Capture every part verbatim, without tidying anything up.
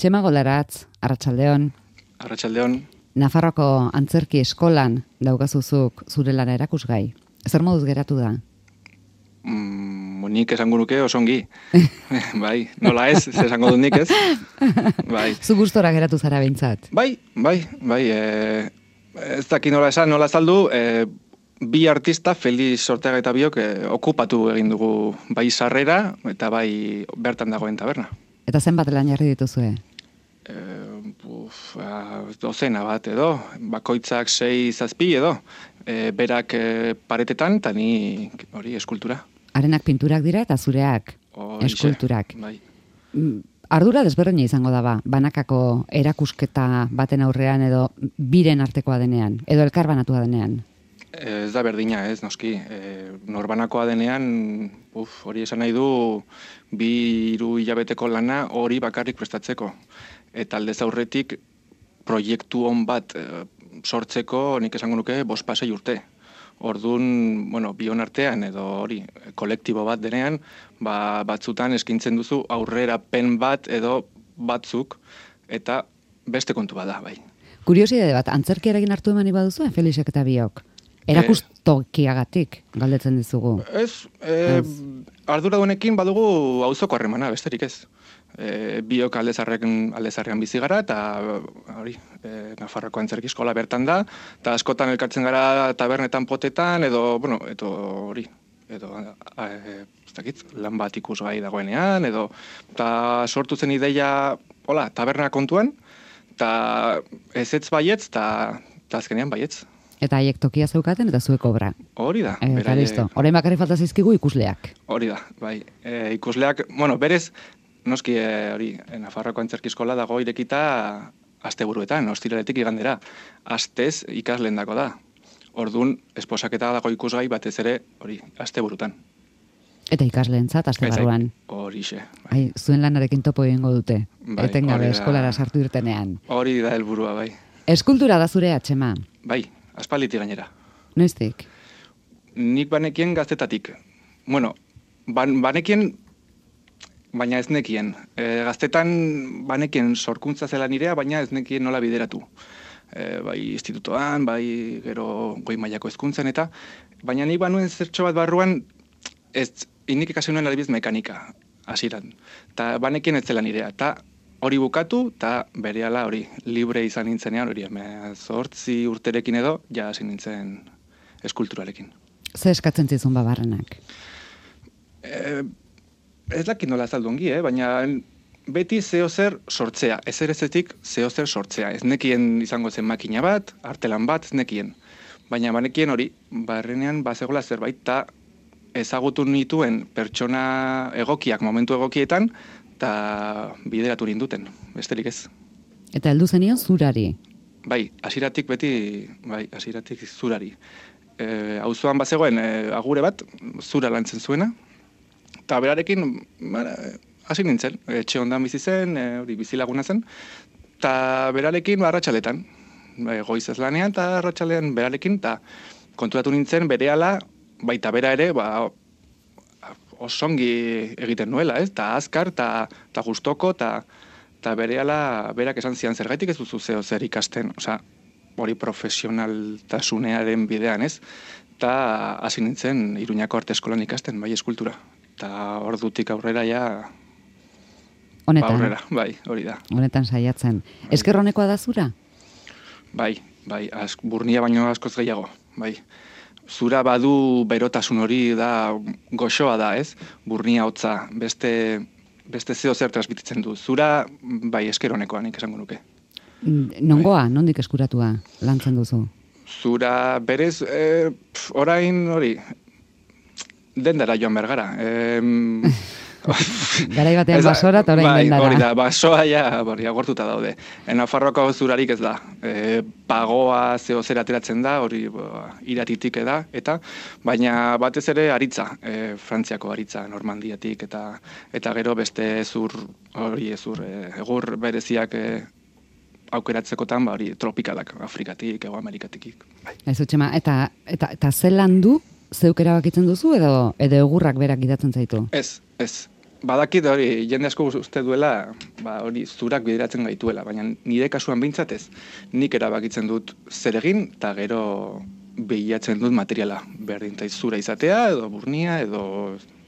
Txema Golaratz, Arratsaldeon. Arratsaldeon. Nafarroako antzerki eskolan daukazuzuk zure lana erakusgai. Zer moduz geratu da? Mm, nik esango nuke osongi. Bai, nola ez, ez esango dut nik ez. Bai. Zu gustora geratu zara behintzat? Bai, bai, bai. E, ez daki nola esan, nola azaldu, e, bi artista, Felix Ortega eta biok, e, okupatu egin dugu bai sarrera eta bai bertan dagoen taberna. Eta zenbat lan jarri dituzue? E, uf, a, dozena bat edo, bakoitzak sei zazpi edo, e, berak e, paretetan, eta ni hori eskultura. Arenak pinturak dira eta zureak Horixe, eskulturak. Bai. Ardura desberdina izango da ba, banakako erakusketa baten aurrean edo biren artekoa denean, edo elkarbanatua denean. Ez da berdina, ez, noski. E, norbanakoa denean, uf, hori esan nahi du, bi hiru hilabeteko lana hori bakarrik prestatzeko. Eta aldez aurretik proiektu on bat e, sortzeko, nik esango nuke, bost pasei urte. Orduan, bueno, bion artean edo hori, kolektibo bat denean, ba, batzutan eskintzen duzu aurrera pen bat edo batzuk, eta beste kontu bada, bai. Kuriosidade bat, antzerkiarekin hartu emani baduzu, Felixek eta biok? Erakustokiagatik galdetzen dizugu. Ez, e, ardura duenekin badugu auzoko harremana, besterik ez. E, biok aldezarrean, aldezarrean bizi gara, eta hori, e, Nafarroko antzerki eskola bertan da, eta askotan elkartzen gara tabernetan potetan, edo, bueno, edo hori, edo, e, ez dakit, lan bat ikusgai dagoenean, edo, eta sortu zen ideia, hola, taberna kontuan, eta ezetz baietz, eta azkenean baietz. Eta haiek tokia zeukaten eta zuek obra. Hori da. E, eta listo. Orain bakarrik falta zaizkigu ikusleak. Hori da, bai. E, ikusleak, bueno, berez, noski e, hori, Nafarroako antzerki eskola dago irekita asteburuetan, ostiraletik igandera. Astez ikasleen dako da. Orduan, esposaketa dago ikusgai batez ere, hori, asteburutan. Eta ikasleentzat aste barruan. Horixe. Bai, zuen lanarekin topo egingo dute. Bai, etengabe eskolara sartu irtenean. Hori da helburua, bai. Eskultura da zure Txema. Bai. Aspalditik gainera. Noiztik? Nik banekien gaztetatik. Bueno, ban, banekien, baina ez nekien. E, gaztetan banekien sorkuntza zela nirea, baina ez nekien nola bideratu. E, bai institutoan, bai gero goi mailako hezkuntzan eta, baina nik banuen zertxo bat barruan, ez, inik ikasi nuen adibidez mekanika, hasieran. Ta banekien ez zela nirea, eta hori bukatu, eta berehala hori, libre izan nintzenean, hori, zortzi urterekin edo, ja hasi nintzen eskulturarekin. Ze eskatzen zizun babarrenak? E, ez dakit nola azaldu ongi, eh? Baina beti zeo zer sortzea, ezer ezetik zeo zer sortzea. Ez nekien izango zen makina bat, artelan bat, ez nekien. Baina banekien hori, barrenean bazegola zerbait, eta ezagutu nituen pertsona egokiak, momentu egokietan, eta bideratu ninduten, besterik ez. Eta heldu zenion zurari? Bai, hasieratik beti, bai, hasieratik zurari. E, auzoan bazegoen e, agure bat, zura lantzen zuena, eta berarekin, bara, hasi nintzen, etxe ondan bizi zen, e, hori bizilaguna zen, eta berarekin arratsaletan, e, goizez lanean, eta arratsalean berarekin, eta konturatu nintzen berehala, baita bera ere, ba, osongi egiten nuela, ez? Ta azkar, ta, ta gustoko, ta, ta berehala berak esan zian zergaitik ez duzu zeo zer ikasten, osea, hori profesionaltasunearen bidean, ez? Ta hasi nintzen Iruñako arte eskolan ikasten, bai eskultura. Ta ordutik aurrera ja honetan, ba, aurrera, bai, hori da. Honetan saiatzen. Bai. Esker honekoa da zura? Bai, bai, ask, burnia baino askoz gehiago, bai. Zura badu berotasun hori da goxoa da, ez? Burnia hotza, beste, beste zeo zer transmititzen du. Zura, bai, esker honekoa, nik esango nuke. Nongoa, bai. Nondik eskuratua lantzen duzu? Zura, berez, e, pf, orain hori, dendara joan bergara. E, Garai batean basora eta orain bai, dendara. Hori da, basoa ja, hori, agortuta daude. En Nafarroako zurarik ez da. E, pagoa zeo zer ateratzen da, hori ba, iratitik eda, eta baina batez ere aritza, e, Frantziako aritza, Normandiatik, eta eta gero beste zur, hori zur, e, egur bereziak e, aukeratzekotan, ba, hori tropikalak, Afrikatik, Ego Amerikatik. Bai. Ez Txema, eta, eta, eta zelan du zeuk erabakitzen duzu edo edo egurrak berak gidatzen zaitu? Ez, ez. badakit hori, jende asko uste duela, ba, hori zurak bideratzen gaituela, baina nire kasuan behintzat ez, nik erabakitzen dut zer egin, eta gero behiatzen dut materiala, berdin taiz zura izatea, edo burnia, edo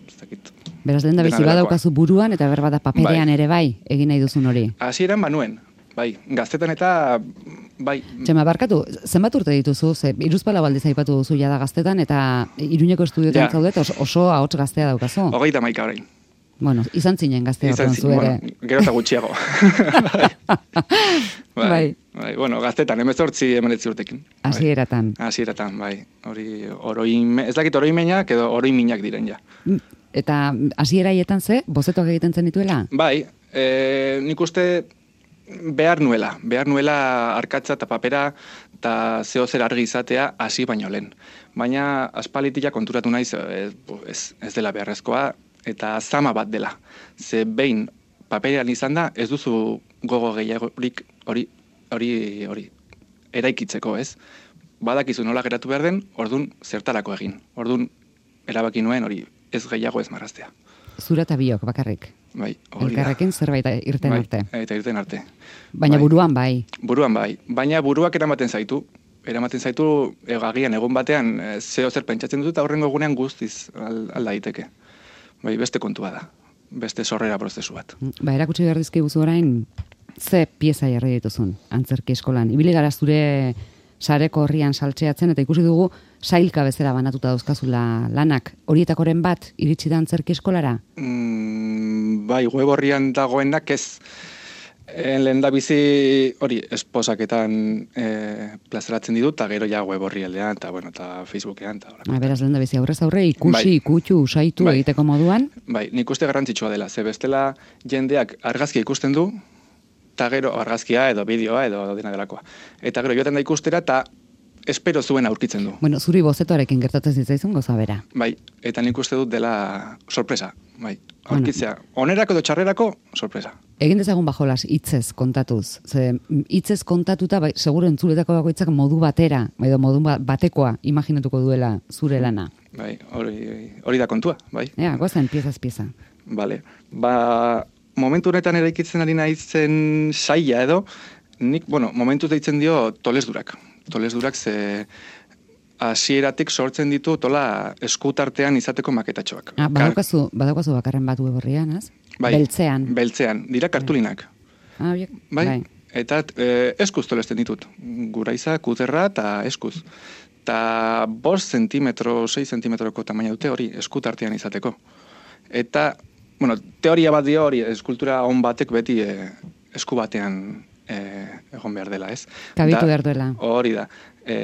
ez dakit. Beraz, lehen da bizi badaukazu buruan, eta berbada paperean bai. Ere bai, egin nahi duzun hori. Hasieran banuen, bai, gaztetan eta bai. Txema, barkatu, zenbat urte dituzu, ze Hiruzpalau aldiz aipatu duzu jada gaztetan, eta Iruñeko estudioetan ja. Zaudet, oso, oso ahots gaztea daukazu. Hogeita maika orain. Bueno, izan zinen gaztea horren zu ere. Bueno, gero eta gutxiago. bai. Bai, bai. Bai, bueno, gaztetan, emezortzi emenetzi urtekin. Hasieratan. Bai. Hasieratan, bai. Hori, oroime, ez dakit oroimenak edo oroiminak diren ja. Eta hasieraietan ze, bozetoak egiten zen dituela? Bai, e, nik uste behar nuela, behar nuela arkatza eta papera eta zeo zer argi izatea hasi baino lehen. Baina aspalitia konturatu naiz ez, ez, ez dela beharrezkoa eta zama bat dela. Ze behin paperean izan da, ez duzu gogo gehiagorik hori hori hori eraikitzeko, ez? Badakizu nola geratu behar den, ordun zertarako egin. Ordun erabaki nuen hori ez gehiago ez marraztea. Zura eta biok bakarrik. Bai, hori da. Elkarrekin zerbait irten bai, arte. Eta irten arte. Baina bai. Buruan bai. Buruan bai. Baina buruak eramaten zaitu. Eramaten zaitu egagian egun batean zeo zer pentsatzen dut eta horrengo egunean guztiz alda daiteke. Bai, beste kontua da. Beste sorrera prozesu bat. Ba, erakutsi behar dizkiguzu orain ze pieza jarri dituzun antzerki eskolan. Ibili gara zure sareko horrian saltzeatzen eta ikusi dugu sailka bezala banatuta dauzkazula lanak. Horietakoren bat iritsi da antzerki eskolara? Mm, bai, web horrian dagoenak ez. En lehen da bizi hori esposaketan e, plazaratzen ditut, eta gero ja web horri aldean, eta bueno, eta Facebookean. Ta, ah, beraz, lehen da bizi aurrez aurre ikusi, bai. Ikutxu, usaitu bai. Egiteko moduan? Bai, nik uste garrantzitsua dela, ze bestela jendeak argazkia ikusten du, eta gero argazkia edo bideoa edo dena delakoa. Eta gero joaten da ikustera, eta espero zuen aurkitzen du. Bueno, zuri bozetoarekin gertatzen zitzaizun goza bera. Bai, eta nik uste dut dela sorpresa, bai. Aurkitzea, bueno. Onerako edo txarrerako, sorpresa. Egin dezagun bajolas hitzez kontatuz. Ze hitzez kontatuta, bai, seguro entzuletako bakoitzak modu batera, edo modu batekoa imaginatuko duela zure lana. Bai, hori, hori da kontua, bai. Ja, gozen, piezaz pieza. Vale, ba, momentu honetan eraikitzen ari naizen saia edo, nik, bueno, momentu deitzen dio tolesdurak. Tolesdurak ze hasieratik sortzen ditu tola eskutartean izateko maketatxoak. Ah, badaukazu, badaukazu bakarren bat web horrian, ez? Bai, beltzean. Beltzean, dira kartulinak. Ah, biak, bai. bai. Eta e, eskuz tolesten ditut. Guraiza, kuterra eta eskuz. Eta bost zentimetro, sei zentimetroko tamaina dute hori eskutartean izateko. Eta, bueno, teoria bat dio hori, eskultura on batek beti e, esku batean e, egon behar dela, ez? Kabitu behar duela. Hori da. E,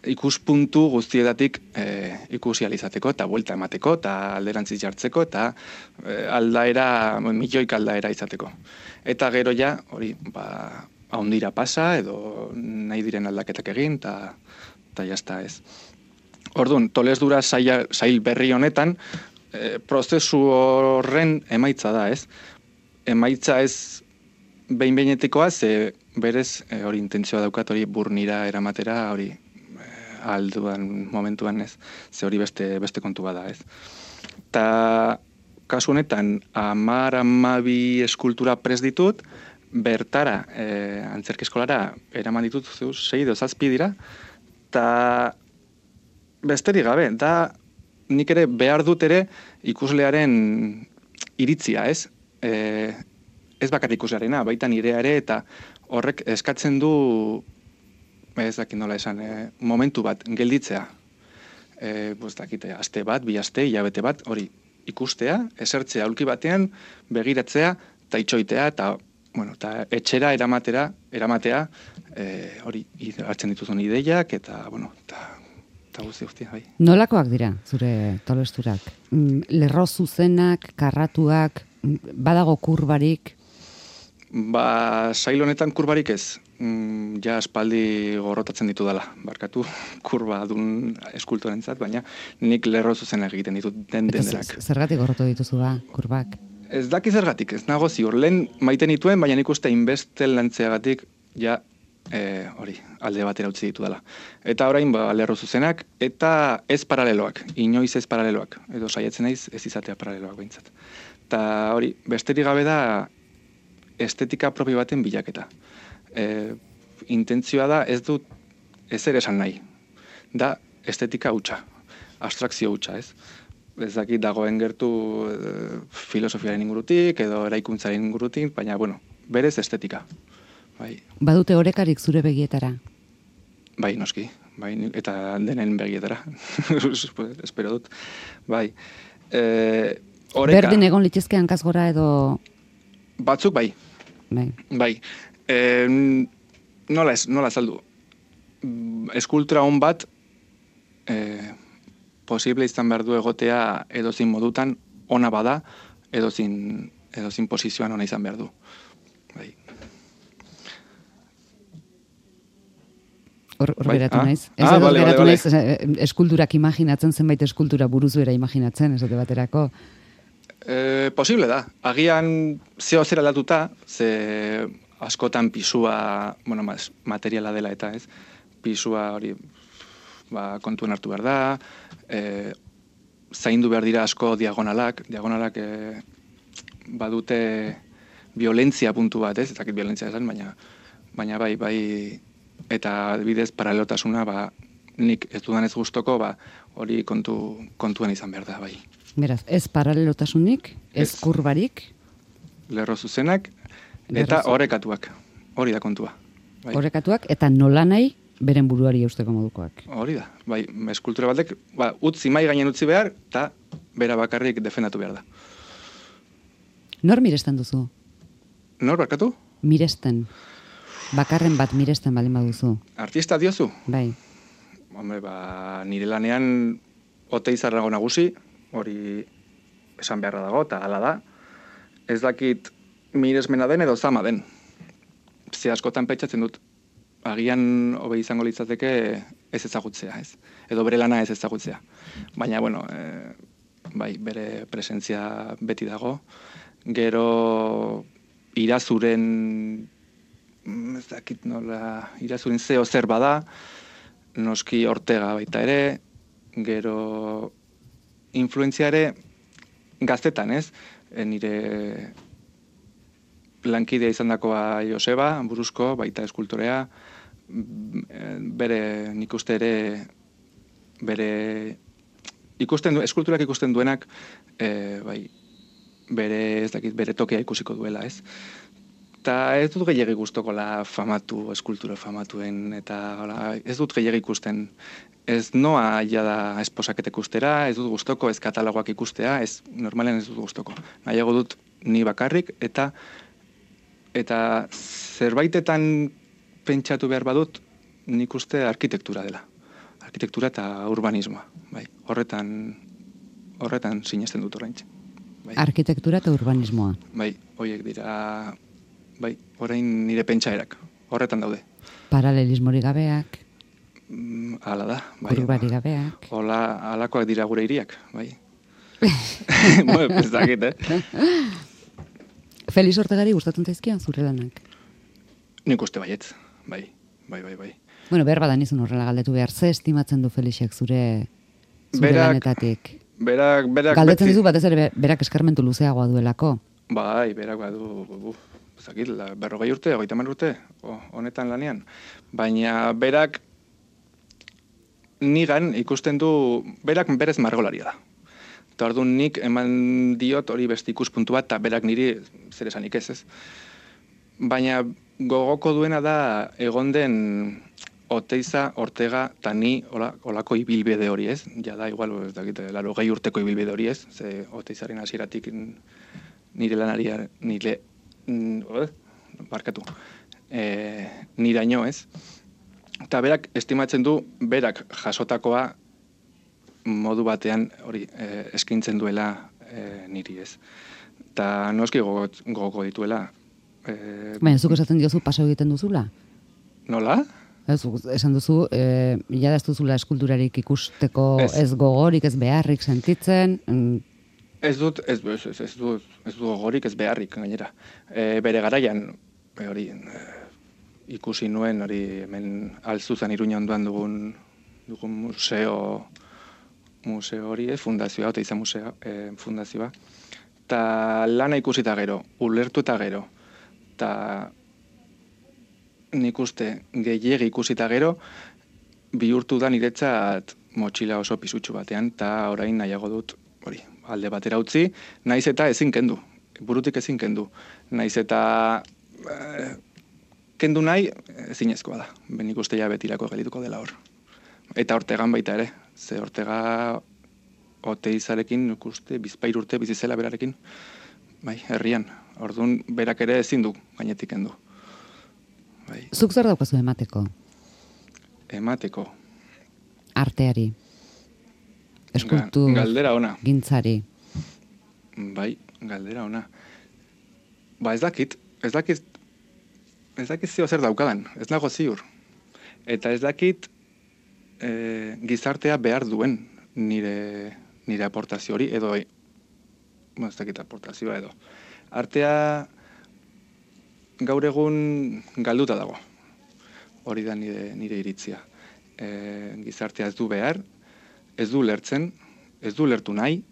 ikuspuntu guztietatik e, ikusi alizateko eta buelta emateko eta alderantziz jartzeko eta e, aldaera, milioik aldaera izateko. Eta gero ja, hori, ba, haundira pasa edo nahi diren aldaketak egin eta eta jazta ez. Orduan, tolesdura sail, sail berri honetan, e, prozesu horren emaitza da, ez? Emaitza ez behin-behinetikoa, ze berez e, hori intentzioa daukat hori burnira eramatera, hori alduan momentuan ez, ze hori beste, beste kontu bada ez. Ta kasu honetan, amar amabi eskultura prest ditut, bertara, e, antzerki eskolara, eraman ditut zeu, sei edo zazpi dira, eta besterik gabe, da nik ere behar dut ere ikuslearen iritzia ez, e, ez bakar ikuslearena, baita nirea ere, eta horrek eskatzen du ez dakit nola esan, e, momentu bat gelditzea. E, pues, dakite, aste bat, bi aste, hilabete bat, hori ikustea, esertzea aulki batean, begiratzea, eta itxoitea, eta bueno, eta etxera eramatera, eramatea, e, hori hartzen dituzun ideiak, eta, bueno, eta, eta guzti guztia, bai. Nolakoak dira, zure tolesturak? Lerro zuzenak, karratuak, badago kurbarik? Ba, sail honetan kurbarik ez. Mm, ja aspaldi gorrotatzen ditu dela, barkatu kurba dun eskultorentzat, baina nik lerro zuzenak egiten ditut den denak. Zergatik gorrotu dituzu ba, kurbak? Ez daki zergatik, ez nago ziur. Lehen maiten dituen, baina nik uste inbeste lantzeagatik ja e, hori, alde batera utzi ditu dela. Eta orain ba, lerro zuzenak, eta ez paraleloak, inoiz ez paraleloak. Edo saietzen naiz ez izatea paraleloak behintzat. eta hori, besterik gabe da estetika propio baten bilaketa. E, intentzioa da ez dut ezer esan nahi. Da estetika hutsa, abstrakzio hutsa, ez? Ez dakit dagoen gertu e, filosofiaren ingurutik edo eraikuntzaren ingurutik, baina, bueno, berez estetika. Bai. Badute orekarik zure begietara? Bai, noski. Bai, eta denen begietara. Espero dut. Bai. E, oreka. Berdin egon litzezke hankaz gora edo... Batzuk bai. Bai. Bai. E, nola ez, nola azaldu. Eskultura hon bat e, posible izan behar du egotea edozin modutan ona bada, edozin, edozin posizioan ona izan behar du. Bai. Hor, hor bai, geratu ah? naiz. Ez ah, edo vale, geratu vale, naiz, vale. Eskulturak imaginatzen, zenbait eskultura buruzuera imaginatzen, esate baterako. E, posible da. Agian zeo zer aldatuta, ze askotan pisua, bueno, mas, materiala dela eta ez, pisua hori ba, kontuen hartu behar da, e, zaindu behar dira asko diagonalak, diagonalak e, badute violentzia puntu bat, ez, ezakit violentzia esan, baina, baina bai, bai, eta adibidez paralelotasuna, ba, nik ez dudan ez gustoko, ba, hori kontu, kontuen izan behar da, bai. Beraz, ez paralelotasunik, ez, ez kurbarik, lerro zuzenak, eta orekatuak, hori da kontua. Bai. Orekatuak, eta nola nahi, beren buruari eusteko modukoak. Hori da, bai, eskultura batek, ba, utzi mai gainen utzi behar, eta bera bakarrik defendatu behar da. Nor miresten duzu? Nor barkatu? Miresten. Bakarren bat miresten baldin baduzu. Artista diozu? Bai. Hombre, ba, nire lanean oteizarrago nagusi, hori esan beharra dago, eta hala da. Ez dakit miresmena den edo zama den. Ze askotan pentsatzen dut, agian hobe izango litzateke ez ezagutzea, ez? Edo bere lana ez ezagutzea. Baina, bueno, e, bai, bere presentzia beti dago. Gero irazuren, ez dakit nola, irazuren zeo zer bada, noski Ortega baita ere, gero influentzia ere gaztetan, ez? E, nire lankidea izan dakoa Joseba, buruzko, baita eskultorea, bere, nik uste ere, bere, ikusten du, eskulturak ikusten duenak, e, bai, bere, ez dakit, bere tokea ikusiko duela, ez? Eta ez dut gehiagi gustoko la famatu, eskultura famatuen, eta hola, ez dut gehiagi ikusten. Ez noa jada esposaket ikustera, ez dut gustoko, ez katalogoak ikustea, ez normalen ez dut gustoko. Nahiago dut ni bakarrik, eta eta zerbaitetan pentsatu behar badut, nik uste arkitektura dela. Arkitektura eta urbanismoa. Bai, horretan, horretan sinesten dut oraintxe. Bai. Arkitektura eta urbanismoa. Bai, horiek dira, bai, orain nire pentsaerak. Horretan daude. Paralelismori gabeak. Mm, hala da. Bai, Kurbari gabeak. Hola, halakoak dira gure hiriak, bai. Bueno, ez dakit, eh? Felix Ortegari gustatzen zaizkion zure lanak? Nik uste baietz, bai, bai, bai, bai. Bueno, behar badan izan horrela galdetu behar, ze estimatzen du Felixek zure, zure berak, lanetatik? Berak, berak... Galdetzen beti... dizu batez ere berak eskarmentu luzeagoa duelako? Bai, berak badu, zakit, berrogei urte, hogeita hamar urte, o, honetan lanean. Baina berak nigan ikusten du, berak berez margolaria da. Eta orduan nik eman diot hori beste ikuspuntu bat, eta berak niri zer esanik ez ez. Baina gogoko duena da egon den Oteiza, Ortega, eta ni hola, holako ibilbide hori ez. Ja da, igual, ez dakit, laro gehi urteko ibilbide hori ez. Ze Oteizaren hasieratik nire lanari, nire, mm, barkatu, e, niraino ez. Eta berak estimatzen du, berak jasotakoa modu batean hori e, eskintzen duela e, niri ez. Eta noski gogoko dituela. E, Baina, zuk esaten diozu paso egiten duzula? Nola? Ez, esan duzu, e, jada ez duzula eskulturarik ikusteko ez, ez gogorik, ez beharrik sentitzen. Mm. Ez dut, ez, ez, ez, ez, dut, ez dut gogorik, ez beharrik gainera. E, bere garaian, e, hori, e, ikusi nuen, hori hemen Alzuzan Iruña ondoan dugun, dugun museo, museo hori, eh, fundazioa, Oteiza museo, eh, fundazioa. eta lana ikusita gero, ulertu eta gero, eta nik uste gehiegi ikusita gero, bihurtu da niretzat motxila oso pisutsu batean, eta orain nahiago dut, hori, alde batera utzi, naiz eta ezin kendu, burutik ezin kendu, naiz eta eh, kendu nahi ezinezkoa da, ben nik uste ja betirako gelituko dela hor. Eta Ortegan baita ere, ze Ortega Oteizarekin, nik uste, bizpair urte bizizela berarekin, bai, herrian, orduan berak ere ezin du gainetik kendu. Bai. Zuk zer daukazu emateko? Emateko. Arteari. Eskultur. Ga, galdera ona. Gintzari. Bai, galdera ona. Ba ez dakit, ez dakit, ez dakit zio zer daukadan, ez nago ziur. Eta ez dakit e, gizartea behar duen nire, nire aportazio hori, edo, bueno, ez dakit aportazioa edo. Artea gaur egun galduta dago. Hori da nire, nire iritzia. E, gizartea ez du behar, ez du lertzen, ez du lertu nahi,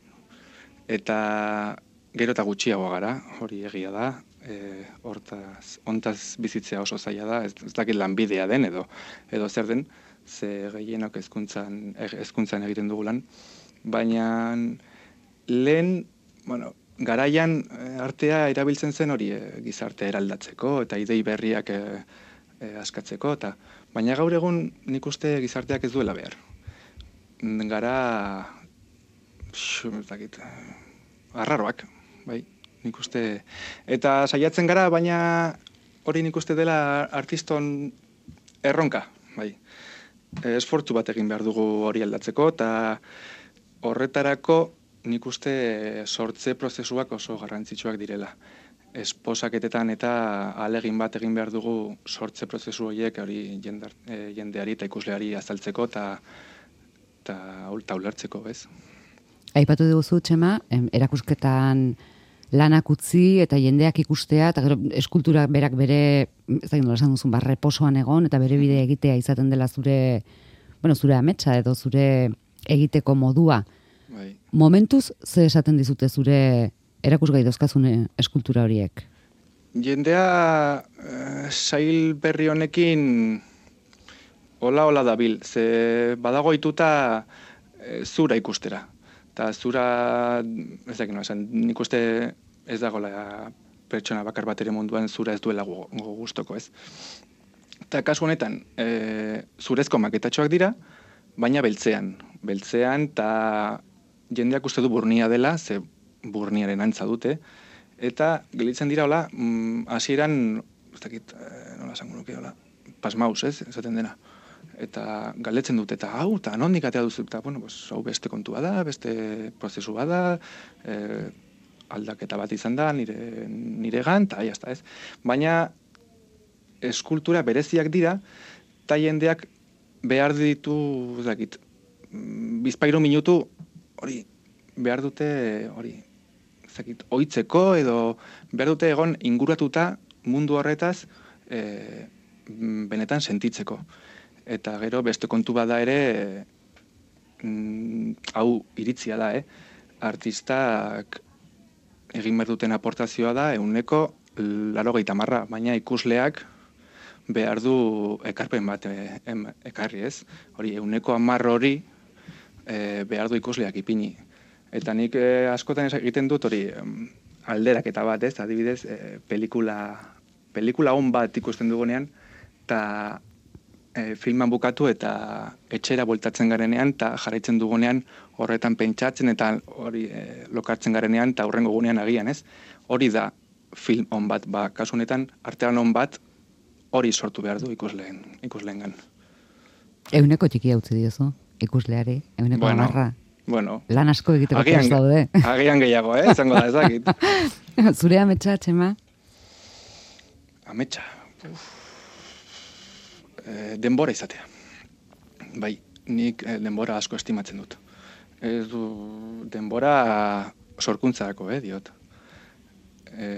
eta gero eta gutxiago gara, hori egia da, e, hortaz, ontaz bizitzea oso zaila da, ez, ez dakit lanbidea den edo, edo zer den, ze gehienok hezkuntzan hezkuntzan egiten dugulan, baina lehen, bueno, garaian artea erabiltzen zen hori e, gizartea eraldatzeko eta idei berriak e, e, askatzeko, eta baina gaur egun nik uste gizarteak ez duela behar. Gara, xu, ez dakit, arraroak, bai, nik uste, eta saiatzen gara, baina hori nik uste dela artiston erronka, bai. Esfortzu bat egin behar dugu hori aldatzeko, eta horretarako nik uste sortze prozesuak oso garrantzitsuak direla. Esposaketetan eta ahalegin bat egin behar dugu sortze prozesu horiek hori jendar, e, jendeari eta ikusleari azaltzeko eta eta ulertzeko, bez? Aipatu duzu, Txema, em, erakusketan lanak utzi eta jendeak ikustea, eta gero eskultura berak bere, ez da nola esan duzun, ba, reposoan egon, eta bere bidea egitea izaten dela zure, bueno, zure ametsa edo zure egiteko modua. Bai. Momentuz, ze esaten dizute zure erakusgai dauzkazune eskultura horiek? Jendea eh, sail berri honekin hola-hola dabil, ze badago ituta e, zura ikustera. Eta zura, ez dakit, no, esan, nik uste ez dagoela pertsona bakar bat ere munduan zura ez duela gogo gustoko, ez. Eta kasu honetan, e, zurezko maketatxoak dira, baina beltzean. Beltzean, eta jendeak uste du burnia dela, ze burniaren antza dute, eta gelitzen dira, hola, hasieran, ez dakit, nola esango nuke, hola, pasmaus, ez, esaten dena. Eta galdetzen dut, eta hau, eta nondik atea duzu, eta, bueno, pues, hau beste kontua da, beste prozesu bada, e, aldaketa bat izan da, nire, nire gan, eta jazta, ez. Baina, eskultura bereziak dira, eta jendeak behar ditu, ez dakit, bizpairo minutu, hori, behar dute, hori, ez dakit, oitzeko, edo behar dute egon inguratuta mundu horretaz, e, benetan sentitzeko. Eta gero beste kontu bada ere, mm, hau iritzia da, eh? Artistak egin behar duten aportazioa da, ehuneko laurogeita hamar, baina ikusleak behar du ekarpen bat e, em, ekarri, ez? Hori, ehuneko hamar hori e, behar du ikusleak ipini. Eta nik e, askotan egiten dut hori alderaketa bat, ez? Adibidez, e, pelikula, pelikula on bat ikusten dugunean, eta E, filman bukatu eta etxera bueltatzen garenean eta jarraitzen dugunean horretan pentsatzen eta hori e, lokartzen garenean eta hurrengo gunean agian, ez? Hori da film on bat, ba, kasu honetan artean on bat hori sortu behar du ikusleen, ikusleengan. Euneko txikia utzi diozu ikusleari, euneko bueno, amarra. Bueno, lan asko egiteko agian, prest daude. Agian gehiago, eh? Zango da, ezakit. Zure ametsa, Txema? Ametsa, uf. E, denbora izatea. Bai, nik e, denbora asko estimatzen dut. Ez du denbora sorkuntzarako, eh, diot. E,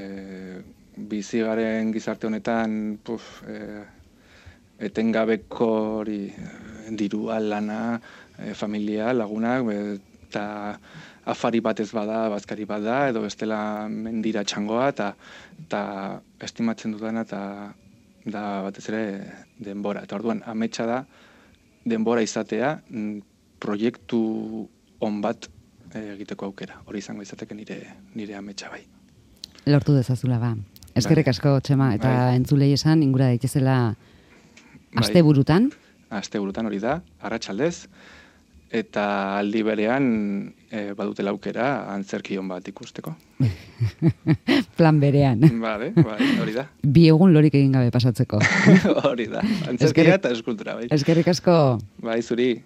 bizigaren gizarte honetan, puf, e, etengabeko hori dirua, lana, e, familia, lagunak, be, eta afari batez bada, bazkari bada, edo bestela mendira txangoa, eta eta estimatzen dudana, eta da batez ere denbora. Eta orduan, ametsa da denbora izatea proiektu on bat egiteko aukera. Hori izango izateke nire, nire ametsa bai. Lortu dezazula ba. Eskerrik asko, Txema, eta bai. Entzulei esan, ingura daitezela aste burutan. Bai. Aste burutan hori da, arratsaldez, eta aldi berean e, badutela aukera antzerkion bat ikusteko. Plan berean. Bale, bai, hori da. Bi egun lorik egin gabe pasatzeko. Hori da, antzerkia eta eskultura. Bai. Eskerrik asko. Bai, zuri.